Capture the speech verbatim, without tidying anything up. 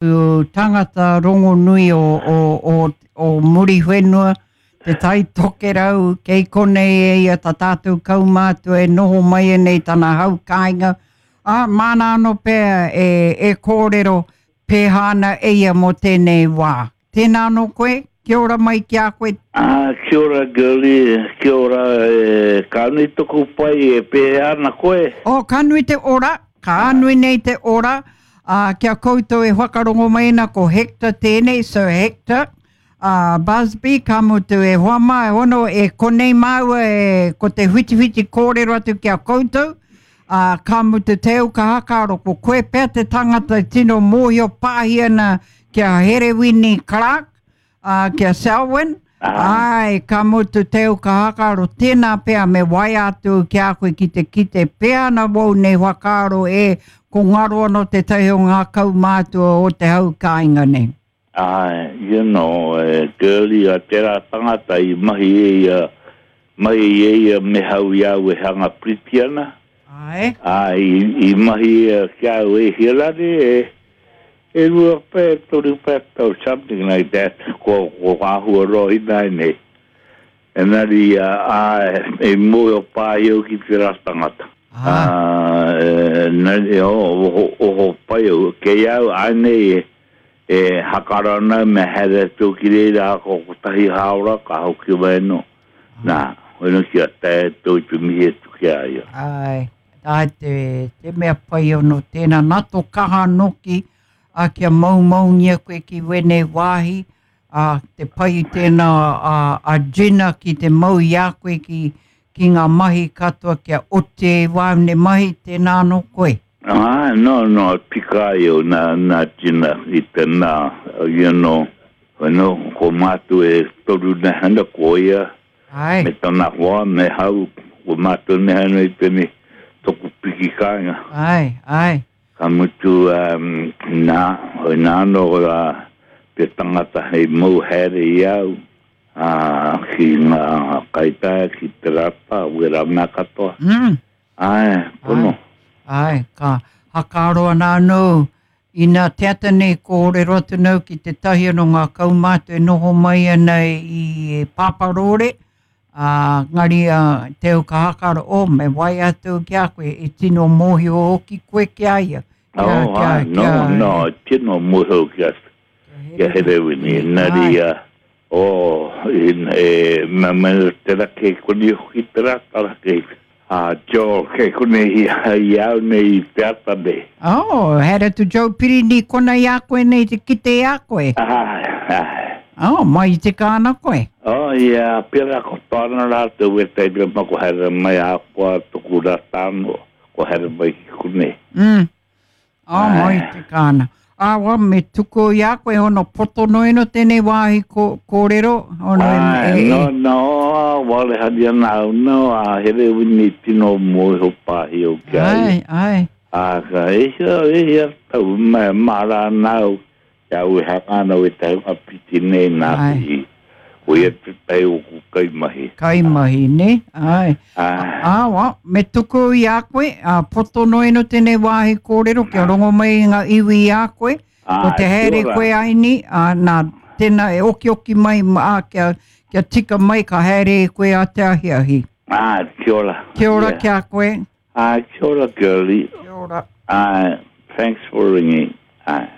Tangata rongonui o, o, o, o Muriwhenua, Te Tai Tokerau, kei konei e ia ta tātou kaumātua e noho mai nei tana hau kāinga. Ā, māna anō pea e, e kōrero pēhā ana e ia mō tēnei wā. Tēnā anō koe, kia ora mai ki a koe. Ah, kia ora, girlie, kia ora, e, ka nui toku pai e pēhea ana koe? Oh, ka nui te ora, ka nui nei te ora, ā, kia koutou e whakarongo mai ana ko Hector tēnei, Sir Hector, ā, Busby, ka mutu e hoa mā, e hono, e konei māua e, ko te whitiwhiti kōrero atu ki a koutou, ā, ka mutu te au ka hakaaro, ko koe pea te tangata e tino mōhio pāhi ana ki a Herewini Clark, ā, ki a Selwyn, āe, ka mutu te au ka hakaaro, tēnā pea me waea atu ki a koe ki te kite pea ana wou nei whakaaro e, ko ngaro anō tētahi o ngā kaumātua o te hau kāinga nei. Āe, you know, e, girlie, a tērā tangata i mahi e ia, mahi e ia me hau i au e hanga piriti ana. Āe. Āe, i, i mahi ia ki a au e hia rānei, e, e rua pea, e toru pea tau, something like that, ko, ko āhua roa ināianei. Engari, āe, e mōhio pāhi au ki tērā tangata. Ah. Ā, engari, oh, oho, oho pai au. Kei au, ānei, e, e hakara ana me haere atu ki reira ko kotahi hāora ka hoki mai anō. Nā, hono kia tae atu i te mihi atu ki a ia. Āe, āe te, te mea pai anō tēnā. Nā tō kaha nōki, ā, kia maumaungia koe ki wēnei wāhi, ā, te pai i tēnā a, a Jenna ki te mau i a koe ki, ki ngā mahi katoa kia oti ai wāu nei mahi, tēnā anō koe. Āe, no, no, tika ai au nā, nā Gina i te nā, you know, you know, ko mātou e toru nei ana, ko ia, Āe. me tana hoa, me hau, ko mātou nei ana i tēnei toku piki kāinga. Āe, āe. Ka mutu, um, nā, hoi nā anō rā te tangata hei mau haere i au, ā, ki ngā kaitaia, ki te rata, wērā mea katoa. Mm. Āe, pono. Āe, ka hakaaro ana anō, ina te ata nei kōrero atu nau ki tētahi anō ngā kaumātua e noho mai ana i Pāparōre, ā, ngari a te au ka hakaaro, oh, me waea atu ki a koe, e tino mōhio hoki koe ki a ia. Kia, Oh, kia, āe, no, kia, no, tino mōhio ki a, ki a Herewini, engari, Āe. oh, in, e, me, me te raki koni hoki te rata raki. A Joe, kei konei i au nei i te ata nei. Oh, haere atu Joe Pirini kona i a koe nei te kite i a koe. Āe, āe. Oh, mai i tika ana koe. Oh, ia, pērā ko tōna rātou e teina ma ko haere mai a koa toku rata anō, ko haere mai ki konei. Mm. Oh, mai Āe. tika ana. Ā, wa, me tuku i a koe hono poto noa tēnei wāhi ko, kōrero. Hono e, Āe, e, no, e. no, wale hari ana au, no, a Herewini tino mōhio pāhi au ki a ia. Āe, āe. Ā, ka e hia, e hia tau, me mahara ana au, kia au e hanga ana au e te hunga piti nei nā Āe. te i. Ko ia te tai o ku kaimahi. Kaimahi, ne? Āe. Āe. Ā, wa, me tuku i a koe, ā, poto noa ino tēnei wāhi kōrero, kia rongo mai ngā iwi i a koe. Ko Āe, te kia haere ora. koe aini, ā, nā, tēnā e okioki mai, ā, kia, kia tika mai ka haere e koe a te ahiahi. Āe, kia ora. Kia ora Yeah. ki a koe. Āe, kia ora, girlie. Kia ora. Āe, thanks for ringing. Āe.